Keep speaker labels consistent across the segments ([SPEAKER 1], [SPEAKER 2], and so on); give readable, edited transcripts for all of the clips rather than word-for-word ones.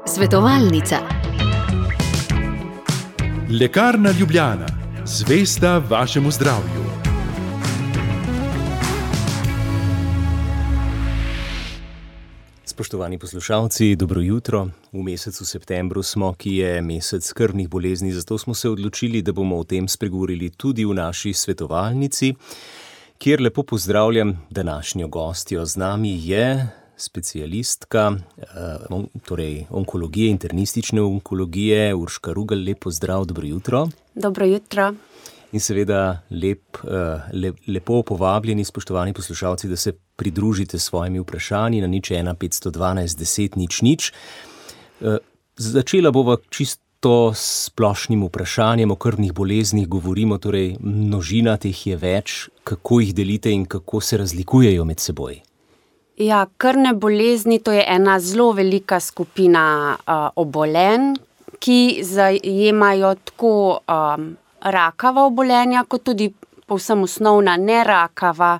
[SPEAKER 1] Svetovalnica.
[SPEAKER 2] Lekarna Ljubljana, zvesta vašemu zdravju.
[SPEAKER 3] Spoštovani poslušalci, dobro jutro. V mesecu septembru smo, ki je mesec krvnih bolezni, zato smo se odločili, da bomo o tem spregovorili tudi v naši svetovalnici, kjer lepo pozdravljam današnjo gostjo. Z nami je specialistka onkologije, internistične onkologije, Urška Rugel. Lep pozdrav, dobro jutro.
[SPEAKER 4] Dobro jutro.
[SPEAKER 3] In seveda lepo povabljeni, spoštovani poslušalci, da se pridružite s svojimi vprašanji na 01 512 10 00. Začela bova čisto s splošnim vprašanjem o krvnih boleznih. Govorimo, torej množina teh je več, kako jih delite in kako se razlikujejo med seboj?
[SPEAKER 4] Ja, krvne bolezni, to je ena zelo velika skupina obolenj, ki zajemajo tako rakava obolenja, kot tudi povsem osnovna nerakava.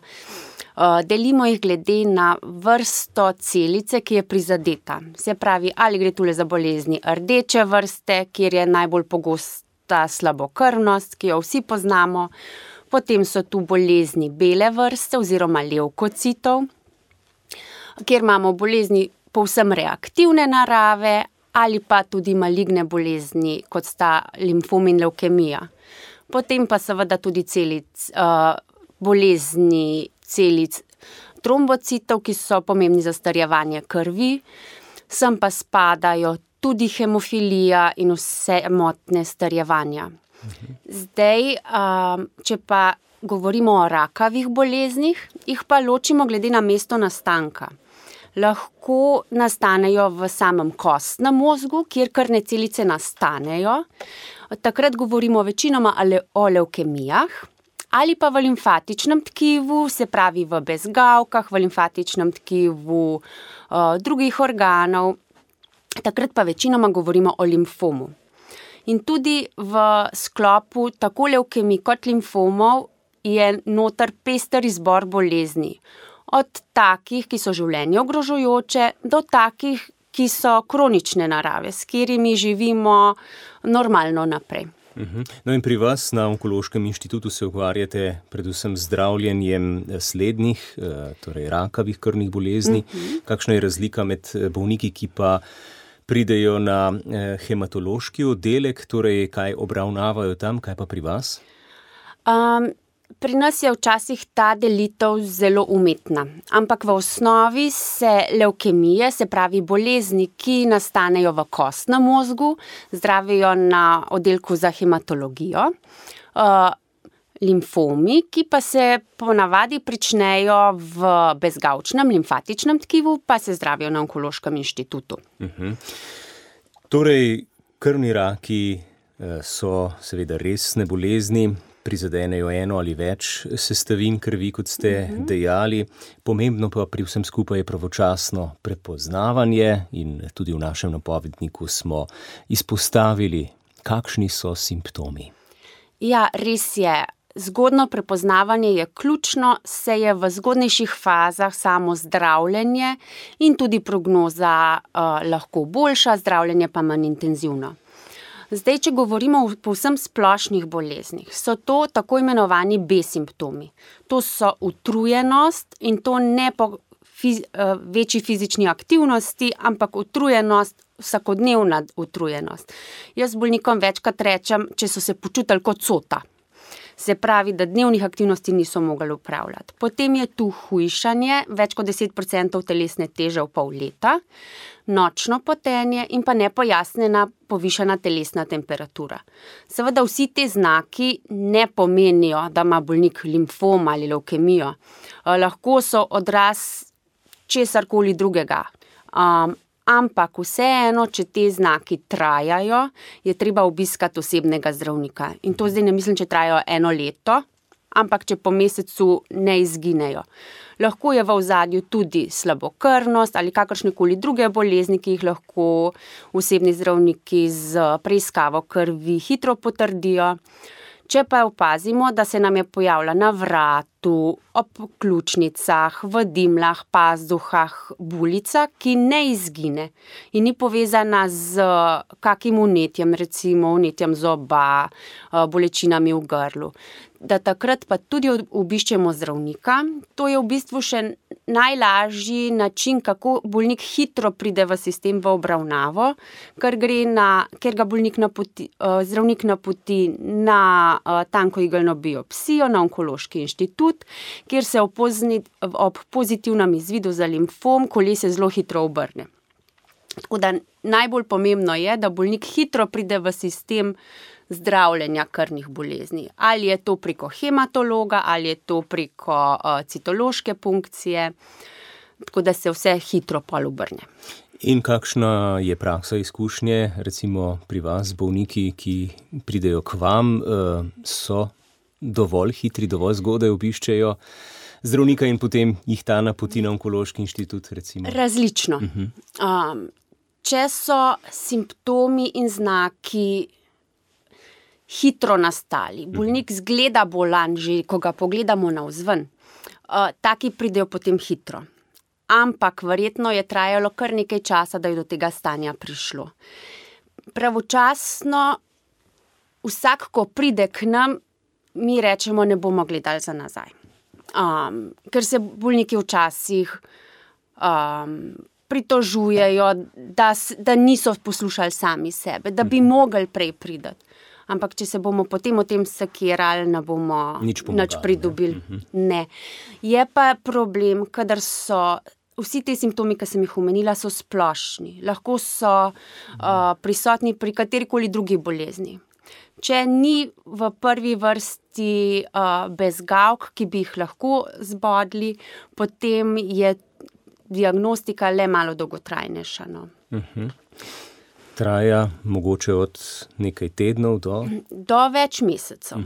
[SPEAKER 4] Delimo jih glede na vrsto celice, ki je prizadeta. Se pravi, ali gre tule za bolezni rdeče vrste, kjer je najbolj pogosta slabokrvnost, ki jo vsi poznamo. Potem so tu bolezni bele vrste oziroma levkocitov, kjer imamo bolezni povsem reaktivne narave ali pa tudi maligne bolezni, kot sta limfom in levkemija. Potem pa seveda tudi bolezni celic trombocitov, ki so pomembni za strjevanje krvi. Sem pa spadajo tudi hemofilija in vse motnje strjevanja. Zdaj, če pa govorimo o rakavih boleznih, jih pa ločimo glede na mesto nastanka. Lahko nastanejo v samem kostnem mozgu, kjer krvne celice nastanejo. Takrat govorimo večinoma o levkemijah ali pa v limfatičnem tkivu, se pravi v bezgavkah, v limfatičnem tkivu drugih organov. Takrat pa večinoma govorimo o limfomu. In tudi v sklopu tako levkemij kot limfomov je noter pester izbor bolezni. Od takih, ki so življenje ogrožajoče, do takih, ki so kronične narave, s katerimi živimo normalno naprej.
[SPEAKER 3] No in pri vas na Onkološkem inštitutu se ukvarjate predvsem z zdravljenjem slednjih, torej rakavih krvnih bolezni. Kakšna je razlika med bolniki, ki pa pridejo na hematološki oddelek, torej kaj obravnavajo tam, kaj pa pri vas?
[SPEAKER 4] Pri nas je včasih ta delitev zelo umetna, ampak v osnovi se levkemije, se pravi bolezni, ki nastanejo v kostnem mozgu, zdravijo na oddelku za hematologijo. Limfomi, ki pa se ponavadi pričnejo v bezgavčnem limfatičnem tkivu, pa se zdravijo na Onkološkem inštitutu.
[SPEAKER 3] Torej, krvni raki so seveda resne bolezni, prizadenejo eno ali več sestavin krvi, kot ste dejali. Pomembno pa pri vsem skupaj je pravočasno prepoznavanje in tudi v našem napovedniku smo izpostavili, kakšni so simptomi.
[SPEAKER 4] Ja, res je. Zgodno prepoznavanje je ključno, se je v zgodnejših fazah samo zdravljenje in tudi prognoza lahko boljša, zdravljenje pa manj intenzivno. Zdaj, če govorimo o povsem splošnih boleznih, so to tako imenovani B-simptomi. To so utrujenost in to ne po večji fizični aktivnosti, ampak utrujenost, vsakodnevna utrujenost. Jaz bolnikom večkrat rečem, če so se počutili kot cota. Se pravi, da dnevnih aktivnosti niso mogli upravljati. Potem je tu hujšanje, več kot 10% telesne teže v pol leta, nočno potenje in pa nepojasnjena povišana telesna temperatura. Seveda vsi te znaki ne pomenijo, da ima bolnik limfom ali levkemijo. Lahko so odraz česarkoli drugega. Ampak vseeno, če te znaki trajajo, je treba obiskati osebnega zdravnika. In to zdaj ne mislim, če trajajo 1 leto, ampak če po mesecu ne izginejo. Lahko je v ozadju tudi slabokrvnost ali kakršnekoli druge bolezni, ki jih lahko osebni zdravniki z preiskavo krvi hitro potrdijo. Če pa opazimo, da se nam je pojavila na vratu, vratu, ob ključnicah, v dimlah, pazduhah, bulica, ki ne izgine in ni povezana z kakim vnetjem, recimo vnetjem zoba, bolečinami v grlu. Da takrat pa tudi obiščemo zdravnika. To je v bistvu še najlažji način, kako bolnik hitro pride v sistem v obravnavo, ker ga zdravnik napoti na tankoigelno biopsijo na Onkološki inštitut, kjer se ob pozitivnem izvidu za limfom kolesje zelo hitro obrne. Tako da najbolj pomembno je, da bolnik hitro pride v sistem zdravljenja krvnih bolezni. Ali je to preko hematologa, ali je to preko citološke punkcije, tako da se vse hitro pol obrne.
[SPEAKER 3] In kakšna je praksa izkušnje, recimo pri vas, bolniki, ki pridejo k vam, so dovolj hitri, dovolj zgodaj obiščejo zdravnika in potem jih ta napoti na Onkološki inštitut, recimo?
[SPEAKER 4] Različno. Če so simptomi in znaki hitro nastali, bolnik zgleda bolan, že ko ga pogledamo navzven, taki pridejo potem hitro. Ampak verjetno je trajalo kar nekaj časa, da je do tega stanja prišlo. Pravočasno, vsak, ko pride k nam, mi rečemo, ne bomo gledali za nazaj. Ker se bolniki včasih pritožujejo, da niso poslušali sami sebe, da bi mogli prej priti. Ampak če se bomo potem o tem sekirali, ne bomo nič pridobili. Ne. Je pa problem, kadar so vsi te simptomi, ki sem jih omenila, so splošni. Lahko so prisotni pri katerikoli drugi bolezni. Če ni v prvi vrsti bezgavk, ki bi jih lahko zbodli, potem je diagnostika le malo dolgotrajnejša.
[SPEAKER 3] Traja mogoče od nekaj tednov do
[SPEAKER 4] več mesecev.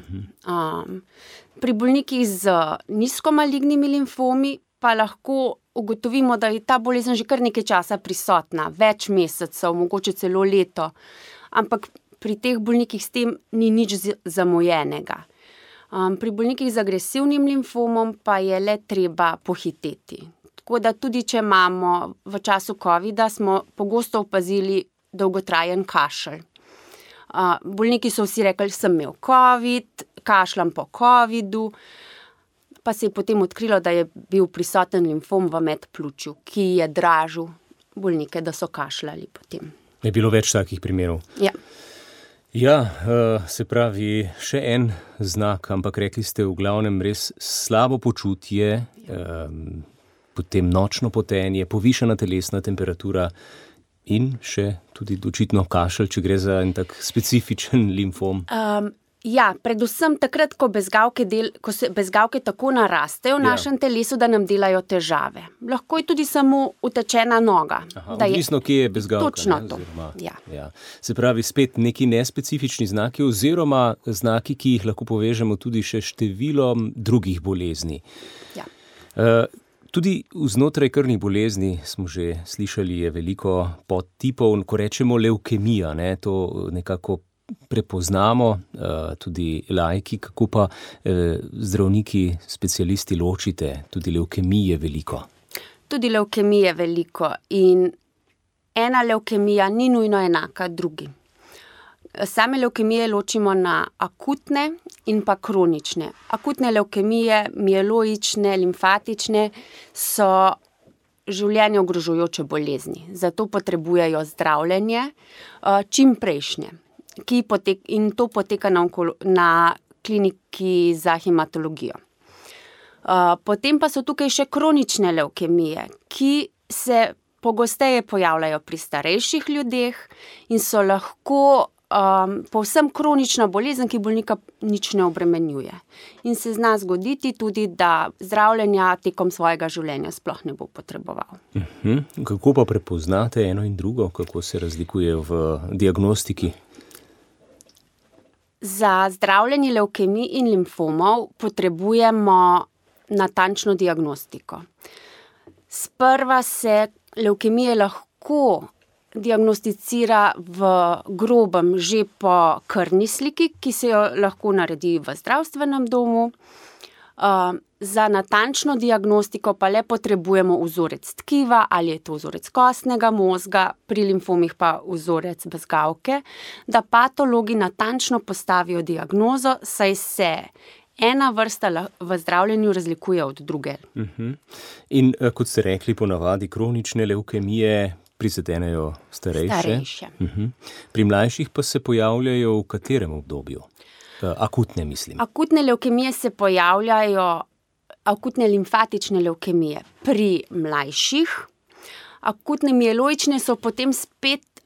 [SPEAKER 4] Pri bolnikih z nizkomalignimi limfomi pa lahko ugotovimo, da je ta bolezen že kar nekaj časa prisotna, več mesecev, mogoče celo leto. Ampak pri teh bolnikih s tem ni nič zamujenega. Pri bolnikih z agresivnim limfomom pa je le treba pohiteti. Tako da tudi, če imamo v času covida, smo pogosto opazili dolgotrajen kašelj. Bolniki so vsi rekli, sem imel covid, kašljam po covidu, pa se je potem odkrilo, da je bil prisoten limfom v medpljučju, ki je dražil bolnike, da so kašljali potem.
[SPEAKER 3] Je bilo več takih primerov?
[SPEAKER 4] Ja.
[SPEAKER 3] Ja, se pravi, še en znak, ampak rekli ste v glavnem res slabo počutje, potem nočno potenje, povišana telesna temperatura in še tudi očitno kašelj, če gre za en tak specifičen limfom.
[SPEAKER 4] Ja, predvsem takrat, ko se bezgavke tako narastejo v našem telesu, da nam delajo težave. Lahko je tudi samo utečena noga.
[SPEAKER 3] Odvisno, kje je bezgavka.
[SPEAKER 4] Točno to.
[SPEAKER 3] Ja. Se pravi, spet neki nespecifični znaki oziroma znaki, ki jih lahko povežemo tudi še številom drugih bolezni.
[SPEAKER 4] Ja.
[SPEAKER 3] Tudi znotraj krvnih bolezni smo že slišali, je veliko podtipov, ko rečemo levkemija, to nekako prepoznamo, tudi laiki, kako pa zdravniki, specialisti ločite, tudi levkemije veliko.
[SPEAKER 4] Tudi levkemije veliko in ena levkemija ni nujno enaka drugi. Same levkemije ločimo na akutne in pa kronične. Akutne levkemije, mieloične, limfatične, so življenje ogrožujoče bolezni. Zato potrebujejo zdravljenje čim prejšnje. In to poteka na kliniki za hematologijo. Potem pa so tukaj še kronične levkemije, ki se pogosteje pojavljajo pri starejših ljudeh in so lahko povsem kronična bolezen, ki bolnika nič ne obremenjuje. In se zna zgoditi tudi, da zdravljenja tekom svojega življenja sploh ne bo potreboval.
[SPEAKER 3] Kako pa prepoznate eno in drugo? Kako se razlikuje v diagnostiki?
[SPEAKER 4] Za zdravljenje levkemij in limfomov potrebujemo natančno diagnostiko. Sprva se levkemije lahko diagnosticira v grobem že po krvni sliki, ki se jo lahko naredi v zdravstvenem domu. Za natančno diagnostiko pa le potrebujemo vzorec tkiva, ali je to vzorec kostnega mozga, pri limfomih pa vzorec bezgavke, da patologi natančno postavijo diagnozo, saj se ena vrsta v zdravljenju razlikuje od druge.
[SPEAKER 3] In kot ste rekli, ponavadi kronične levkemije prizadenejo starejše. Pri mlajših pa se pojavljajo v katerem obdobju? Akutne, mislim.
[SPEAKER 4] Akutne levkemije se pojavljajo, akutne limfatične levkemije pri mlajših. Akutne mieloične so potem spet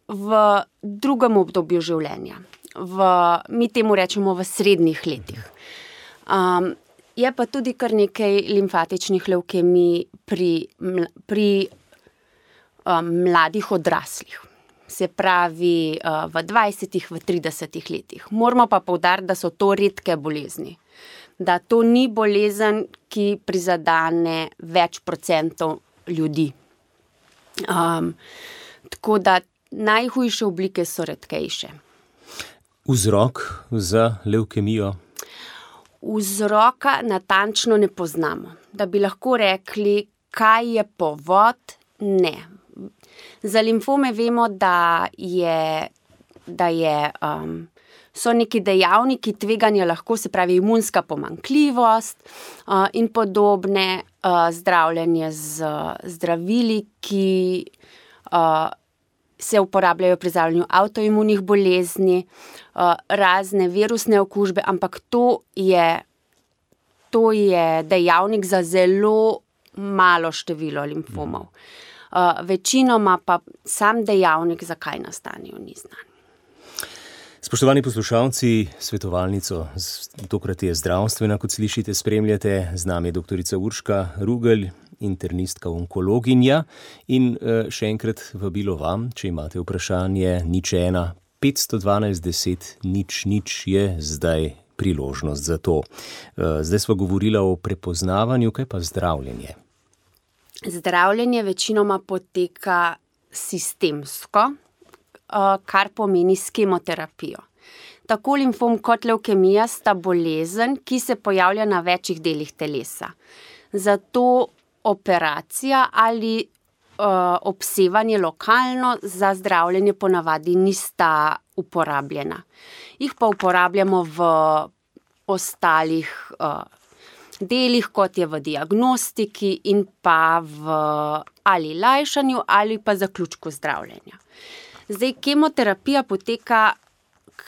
[SPEAKER 4] v drugem obdobju življenja. Mi temu rečemo v srednjih letih. Je pa tudi kar nekaj limfatičnih levkemij pri mladih odraslih. Se pravi v 20, v 30 letih. Moramo pa poudariti, da so to redke bolezni. Da to ni bolezen, ki prizadene več procentov ljudi. Tako da najhujše oblike so redkejše.
[SPEAKER 3] Vzrok za levkemijo?
[SPEAKER 4] Vzroka natančno ne poznamo. Da bi lahko rekli, kaj je povod, ne. Za limfome vemo, da so neki dejavniki tveganja lahko, se pravi imunska pomanjkljivost in podobne, zdravljenje z zdravili, ki se uporabljajo pri zdravljenju avtoimunih bolezni, razne virusne okužbe, ampak to je dejavnik za zelo malo število limfomov. Večinoma pa sam dejavnik, zakaj nastanejo, ni znan.
[SPEAKER 3] Spoštovani poslušalci, svetovalnico, tokrat je zdravstvena, kot slišite, spremljate. Z nami je doktorica Urška Rugelj, internistka onkologinja. In še enkrat vabilo vam, če imate vprašanje, 01 512 10 00 je zdaj priložnost za to. Zdaj sva govorila o prepoznavanju, kaj pa zdravljenje?
[SPEAKER 4] Zdravljenje večinoma poteka sistemsko, kar pomeni s kemoterapijo. Tako limfom kot levkemija sta bolezen, ki se pojavlja na večjih delih telesa. Zato operacija ali obsevanje lokalno za zdravljenje ponavadi nista uporabljena. Jih pa uporabljamo v ostalih delih, kot je v diagnostiki in pa v ali lajšanju ali pa zaključku zdravljenja. Zdaj, kemoterapija poteka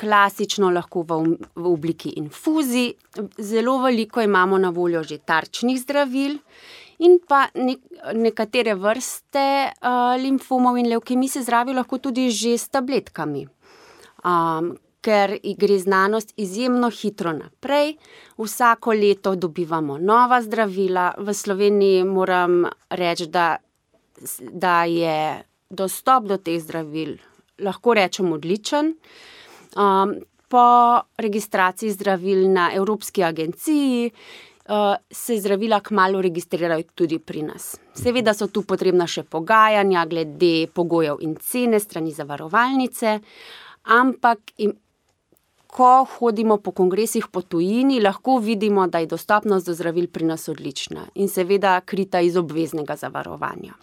[SPEAKER 4] klasično lahko v obliki infuzij. Zelo veliko imamo na voljo že tarčnih zdravil in pa nekatere vrste limfomov in levkemij se zdravijo lahko tudi že s tabletkami. Ker gre znanost izjemno hitro naprej. Vsako leto dobivamo nova zdravila. V Sloveniji moram reči, da je dostop do teh zdravil, lahko rečem, odličen. Po registraciji zdravil na Evropski agenciji se zdravila kmalu registrirajo tudi pri nas. Seveda so tu potrebna še pogajanja glede pogojev in cene strani zavarovalnice, ampak ko hodimo po kongresih po tujini, lahko vidimo, da je dostopnost do zdravil pri nas odlična in seveda krita iz obveznega zavarovanja.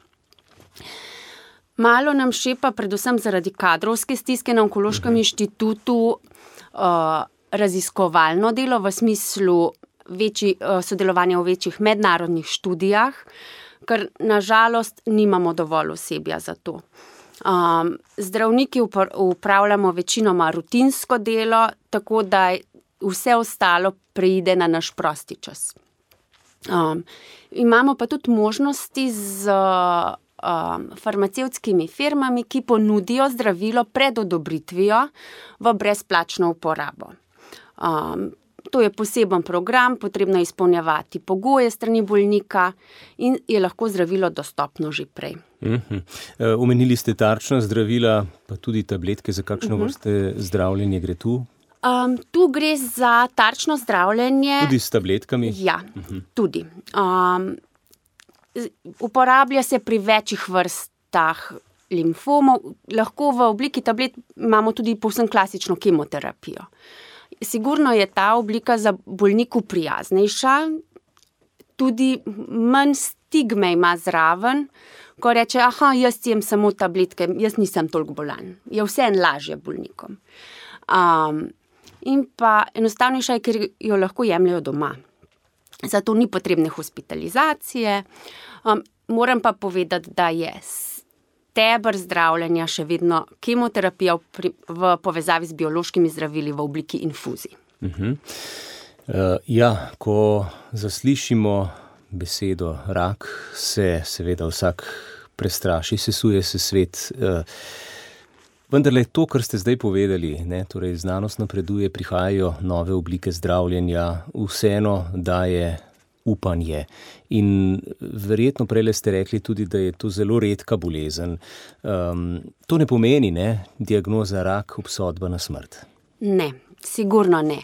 [SPEAKER 4] Malo nam šepa, predvsem zaradi kadrovske stiske na Onkološkem inštitutu, raziskovalno delo v smislu sodelovanja v večjih mednarodnih študijah, ker na žalost nimamo dovolj osebja za to. Zdravniki upravljamo večinoma rutinsko delo, tako da vse ostalo preide na naš prosti čas. Imamo pa tudi možnosti z farmacevtskimi firmami, ki ponudijo zdravilo pred odobritvijo v brezplačno uporabo. To je poseben program, potrebno je izpolnjevati pogoje strani bolnika in je lahko zdravilo dostopno že prej.
[SPEAKER 3] Omenili ste tarčna zdravila, pa tudi tabletke, za kakšno vrste zdravljenje gre tu?
[SPEAKER 4] Tu gre za tarčno zdravljenje.
[SPEAKER 3] Tudi s tabletkami?
[SPEAKER 4] Ja, tudi. Uporablja se pri večjih vrstah limfomov. Lahko v obliki tablet imamo tudi povsem klasično kemoterapijo. sigurno je ta oblika za bolniku prijaznejša, tudi manj stigme ima zraven, ko reče, jaz jem samo tabletke, jaz nisem toliko bolan. Je vseeno lažje bolnikom. In pa enostavnejša je, ker jo lahko jemljajo doma. Zato ni potrebne hospitalizacije. Moram pa povedati, da je steber zdravljenja še vedno kemoterapija v povezavi z biološkimi zdravili v obliki infuzij.
[SPEAKER 3] Ko zaslišimo besedo rak, se seveda vsak prestraši, sesuje se svet. Vendarle to, kar ste zdaj povedali, torej znanost napreduje, prihajajo nove oblike zdravljenja, vseeno daje upanje. In verjetno prejle ste rekli tudi, da je to zelo redka bolezen. To ne pomeni, diagnoza rak, obsodba na smrt?
[SPEAKER 4] Ne, sigurno ne.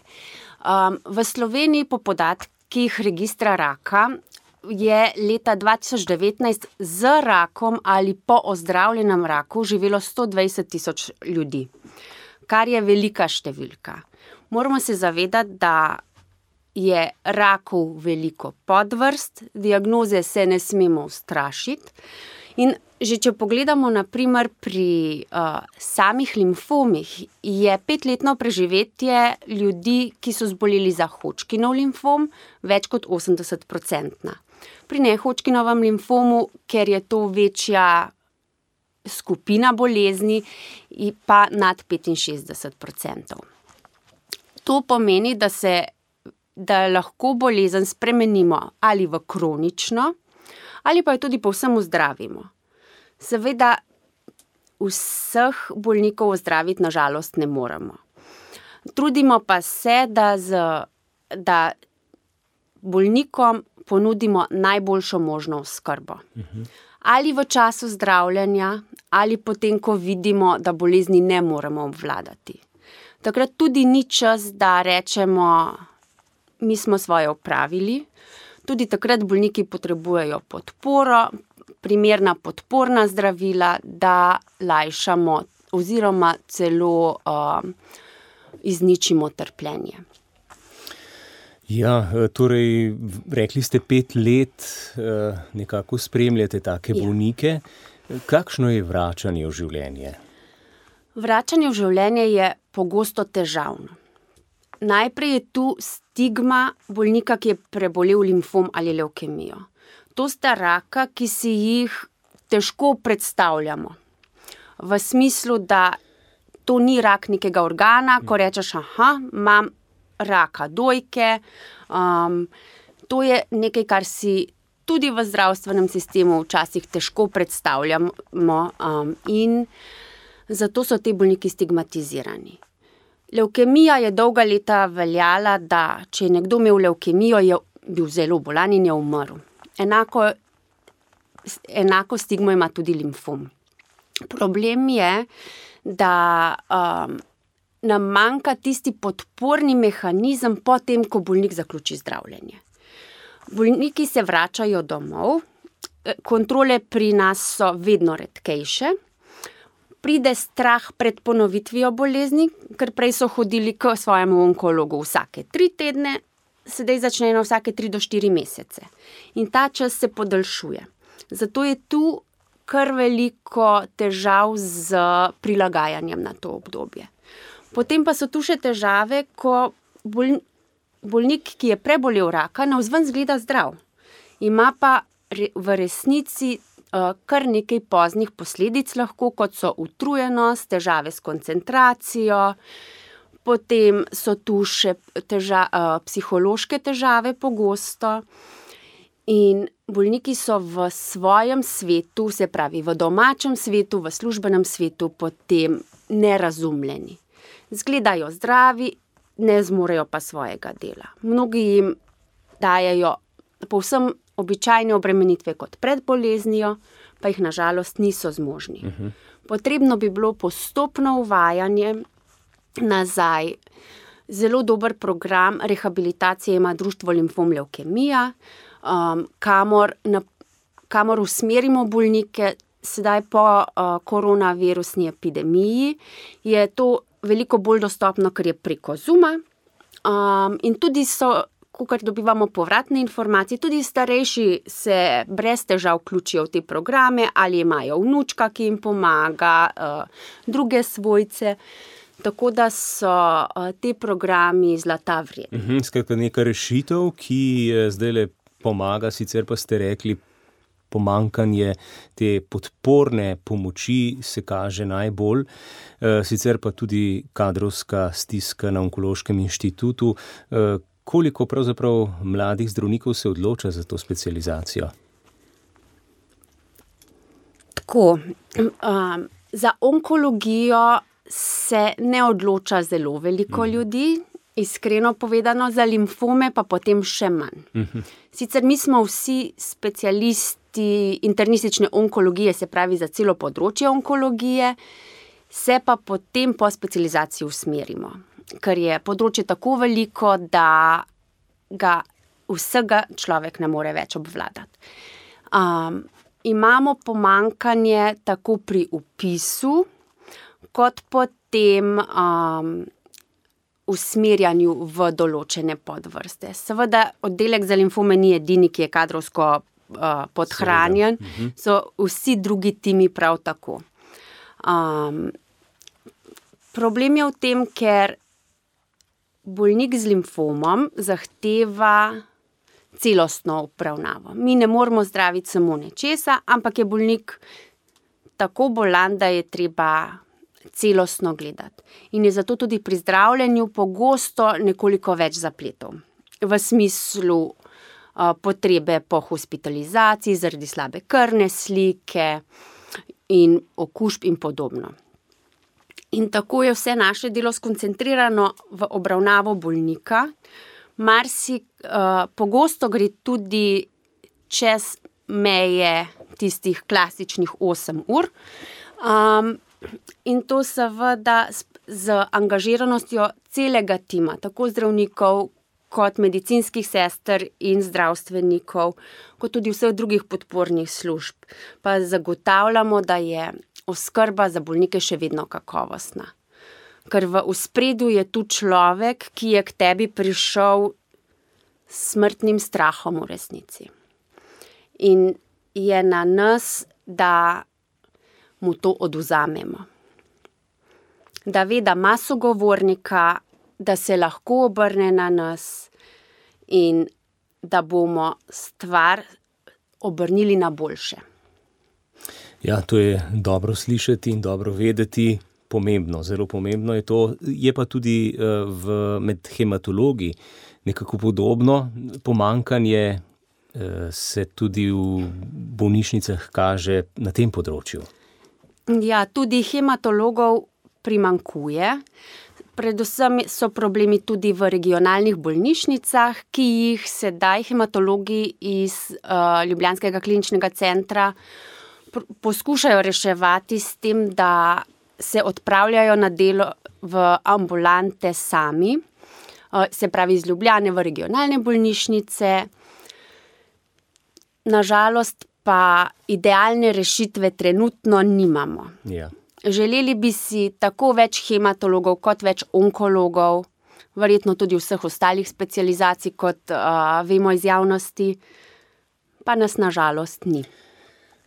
[SPEAKER 4] V Sloveniji po podatkih registra raka je leta 2019 z rakom ali po ozdravljenem raku živelo 120,000 ljudi, kar je velika številka. Moramo se zavedati, da je rakov veliko podvrst, diagnoze se ne smemo ustrašiti. In že če pogledamo na primer pri samih limfomih, je 5-letno preživetje ljudi, ki so zboleli za Hodgkinov limfom, več kot 80%. Pri ne-Hodgkinovem limfomu, ker je to večja skupina bolezni, pa nad 65%. To pomeni, da lahko bolezen spremenimo ali v kronično, ali pa jo tudi povsem ozdravimo. Seveda vseh bolnikov ozdraviti na žalost ne moremo. Trudimo pa se, da bolnikom ponudimo najboljšo možno oskrbo. Ali v času zdravljenja, ali potem, ko vidimo, da bolezni ne moremo obvladati. Takrat tudi ni čas, da rečemo, mi smo svoje opravili. Tudi takrat bolniki potrebujejo podporo, primerna podporna zdravila, da lajšamo oziroma celo izničimo trpljenje.
[SPEAKER 3] Torej, rekli ste 5 let, nekako spremljate take bolnike. Kakšno je vračanje v življenje?
[SPEAKER 4] Vračanje v življenje je pogosto težavno. Najprej je tu stigma bolnika, ki je prebolel limfom ali levkemijo. To sta raka, ki si jih težko predstavljamo. V smislu, da to ni rak nekega organa, ko rečeš, imam raka dojke. To je nekaj, kar si tudi v zdravstvenem sistemu včasih težko predstavljamo in zato so ti bolniki stigmatizirani. Levkemija je dolga leta veljala, da če je nekdo imel levkemijo, je bil zelo bolan in je umrl. Enako stigmo ima tudi limfom. Problem je, da nam manjka tisti podporni mehanizem potem, ko bolnik zaključi zdravljenje. Bolniki se vračajo domov, kontrole pri nas so vedno redkejše, pride strah pred ponovitvijo bolezni, ker prej so hodili k svojemu onkologu vsake 3 tedne, sedaj začnejo vsake 3 do 4 mesece. In ta čas se podaljšuje. Zato je tu kar veliko težav z prilagajanjem na to obdobje. Potem pa so tu še težave, ko bolnik, ki je prebolel raka, navzven izgleda zdrav. Ima pa v resnici kar nekaj poznih posledic lahko, kot so utrujenost, težave s koncentracijo, potem so tu še psihološke težave pogosto in bolniki so v svojem svetu, se pravi v domačem svetu, v službenem svetu potem nerazumljeni. Zgledajo zdravi, ne zmorejo pa svojega dela. Mnogi jim dajejo povsem običajne obremenitve kot pred boleznijo, pa jih na žalost niso zmožni. Potrebno bi bilo postopno uvajanje nazaj. Zelo dober program rehabilitacije ima Društvo Limfom Levkemija, kamor usmerimo bolnike. Sedaj po koronavirusni epidemiji je to veliko bolj dostopno, ker je preko Zooma, In tudi kakor dobivamo povratne informacije, tudi starejši se brez težav vključijo v te programe ali imajo vnučka, ki jim pomaga, druge svojce. Tako da so te programi zlata vredni.
[SPEAKER 3] Skratka, neka rešitev, ki zdajle pomaga, sicer pa ste rekli, pomanjkanje te podporne pomoči se kaže najbolj, sicer pa tudi kadrovska stiska na Onkološkem inštitutu. Koliko pravzaprav mladih zdravnikov se odloča za to specializacijo?
[SPEAKER 4] Tako, za onkologijo se ne odloča zelo veliko ljudi, iskreno povedano, za limfome pa potem še manj. Sicer mi smo vsi specialisti internistične onkologije, se pravi za celo področje onkologije, se pa potem po specializaciji usmerimo, ker je področje tako veliko, da ga vsega človek ne more več obvladati. Imamo pomanjkanje tako pri vpisu, kot potem usmerjanju v določene podvrste. Seveda, oddelek za limfome ni edini, ki je kadrovsko podhranjen, so vsi drugi timi prav tako. Problem je v tem, ker bolnik z limfomom zahteva celostno obravnavo. Mi ne moremo zdraviti samo nečesa, ampak je bolnik tako bolan, da je treba celostno gledati. In je zato tudi pri zdravljenju pogosto nekoliko več zapletov. V smislu potrebe po hospitalizaciji zaradi slabe krvne slike in okužb in podobno. In tako je vse naše delo skoncentrirano v obravnavo bolnika. Pogosto gre tudi čez meje tistih klasičnih 8 ur. In to seveda z angažiranostjo celega tima, tako zdravnikov kot medicinskih sester in zdravstvenikov, kot tudi vseh drugih podpornih služb, pa zagotavljamo, da je oskrba za bolnike še vedno kakovostna. Ker v ospredju je tu človek, ki je k tebi prišel s smrtnim strahom v resnici. In je na nas, da mu to odvzamemo. Da ve, da ima sogovornika, da se lahko obrne na nas in da bomo stvar obrnili na boljše.
[SPEAKER 3] Ja, to je dobro slišati in dobro vedeti, pomembno, zelo pomembno je to. Je pa tudi med hematologi nekako podobno. Pomanjkanje se tudi v bolnišnicah kaže na tem področju.
[SPEAKER 4] Ja, tudi hematologov primanjkuje. Predvsem so problemi tudi v regionalnih bolnišnicah, ki jih sedaj hematologi iz Ljubljanskega kliničnega centra poskušajo reševati s tem, da se odpravljajo na delo v ambulante sami, se pravi iz Ljubljane v regionalne bolnišnice. Nažalost pa idealne rešitve trenutno nimamo.
[SPEAKER 3] Ja.
[SPEAKER 4] Želeli bi si tako več hematologov kot več onkologov, verjetno tudi vseh ostalih specializacij, kot vemo iz javnosti, pa nas nažalost ni.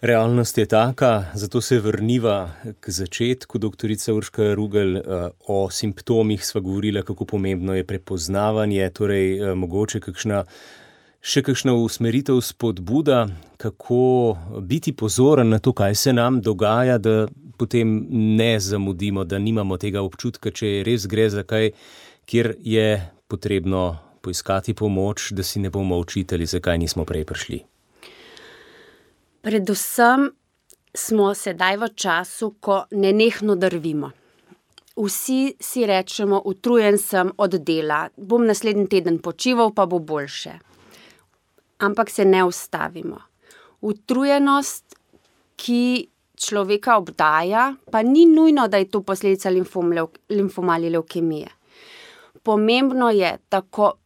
[SPEAKER 3] Realnost je taka, zato se vrniva k začetku. Doktorica Urška Rugel, o simptomih sva govorila, kako pomembno je prepoznavanje, torej mogoče še kakšna usmeritev, spodbuda, kako biti pozoren na to, kaj se nam dogaja, da potem ne zamudimo, da nimamo tega občutka, če res gre za kaj, kjer je potrebno poiskati pomoč, da si ne bomo očitali, zakaj nismo prej prišli.
[SPEAKER 4] Predvsem smo sedaj v času, ko nenehno drvimo. Vsi si rečemo, utrujen sem od dela, bom naslednji teden počival, pa bo boljše. Ampak se ne ustavimo. Utrujenost, ki človeka obdaja, pa ni nujno, da je to posledica limfoma ali levkemije. Pomembno je, da ko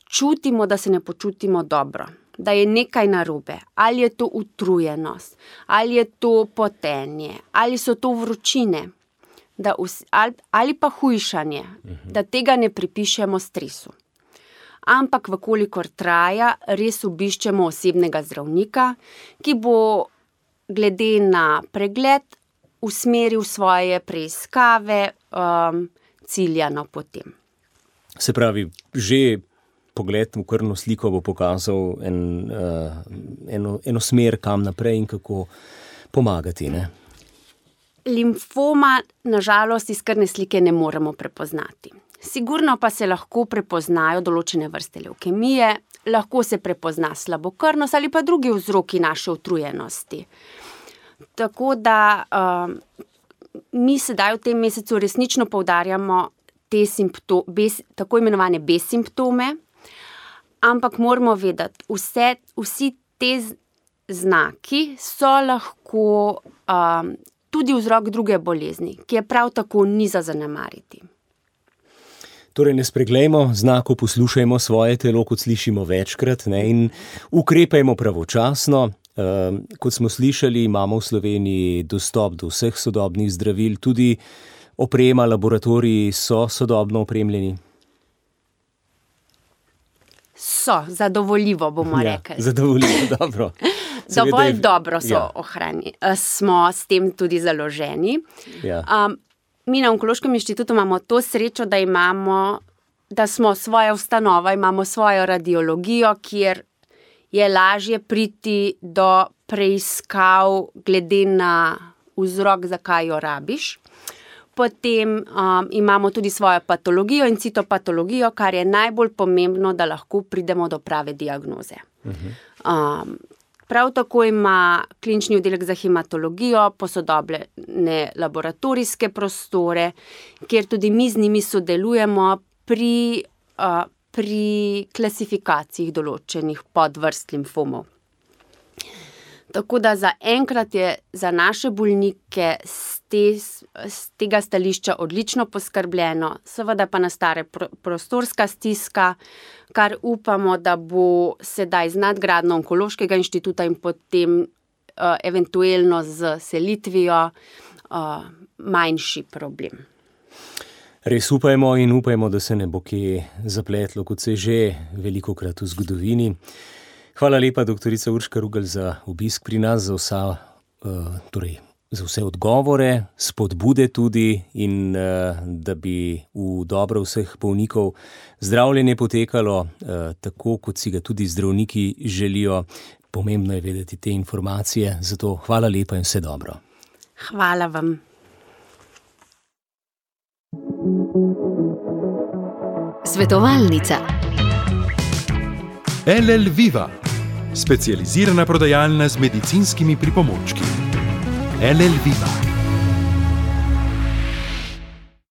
[SPEAKER 4] čutimo, da se ne počutimo dobro, da je nekaj narobe, ali je to utrujenost, ali je to potenje, ali so to vročine, ali pa hujšanje, da tega ne pripišemo stresu. Ampak vkolikor traja, res obiščemo osebnega zdravnika, ki bo glede na pregled usmeril svoje preiskave ciljano potem.
[SPEAKER 3] Se pravi, že pogled v krvno sliko bo pokazal eno smer, kam naprej in kako pomagati, ne?
[SPEAKER 4] Limfoma, nažalost, iz krvne slike ne moremo prepoznati. Sigurno pa se lahko prepoznajo določene vrste levkemije, lahko se prepozna slabokrvnost ali pa drugi vzroki naše utrujenosti. Tako da mi sedaj v tem mesecu resnično poudarjamo te tako imenovane B-simptome, ampak moramo vedeti, vsi te znaki so lahko tudi vzrok druge bolezni, ki je prav tako ni za zanemariti.
[SPEAKER 3] Torej ne spreglejmo znakov, poslušajmo svoje telo, kot slišimo večkrat, ne, in ukrepajmo pravočasno. Kot smo slišali, imamo v Sloveniji dostop do vseh sodobnih zdravil, tudi oprema, laboratoriji so sodobno opremljeni.
[SPEAKER 4] So, zadovoljivo bomo rekli.
[SPEAKER 3] Zadovoljivo, dobro.
[SPEAKER 4] Dovolj dobro smo s tem tudi založeni.
[SPEAKER 3] Ja.
[SPEAKER 4] Mi na Onkološkem inštitutu imamo to srečo, da smo svoja ustanova, imamo svojo radiologijo, kjer je lažje priti do preiskav glede na vzrok, zakaj jo rabiš. Potem imamo tudi svojo patologijo in citopatologijo, kar je najbolj pomembno, da lahko pridemo do prave diagnoze. Prav tako ima klinični oddelek za hematologijo posodobljene laboratorijske prostore, kjer tudi mi z njimi sodelujemo pri klasifikaciji določenih podvrst limfomov. Tako da zaenkrat je za naše bolnike z tega stališča odlično poskrbljeno, seveda pa nastane prostorska stiska, kar upamo, da bo sedaj z nadgradnjo Onkološkega inštituta in potem eventualno z selitvijo manjši problem.
[SPEAKER 3] Res upajmo in upajmo, da se ne bo kje zapletlo, kot se je že velikokrat v zgodovini. Hvala lepa, doktorica Urška Rugelj, za obisk pri nas, za vse odgovore, spodbude tudi in da bi v dobro vseh bolnikov zdravljenje potekalo tako, kot si ga tudi zdravniki želijo. Pomembno je vedeti te informacije, zato hvala lepa in vse dobro.
[SPEAKER 4] Hvala vam.
[SPEAKER 1] Svetovalnica.
[SPEAKER 2] LL Viva, specializirana prodajalna z medicinskimi pripomočki. LL Viva.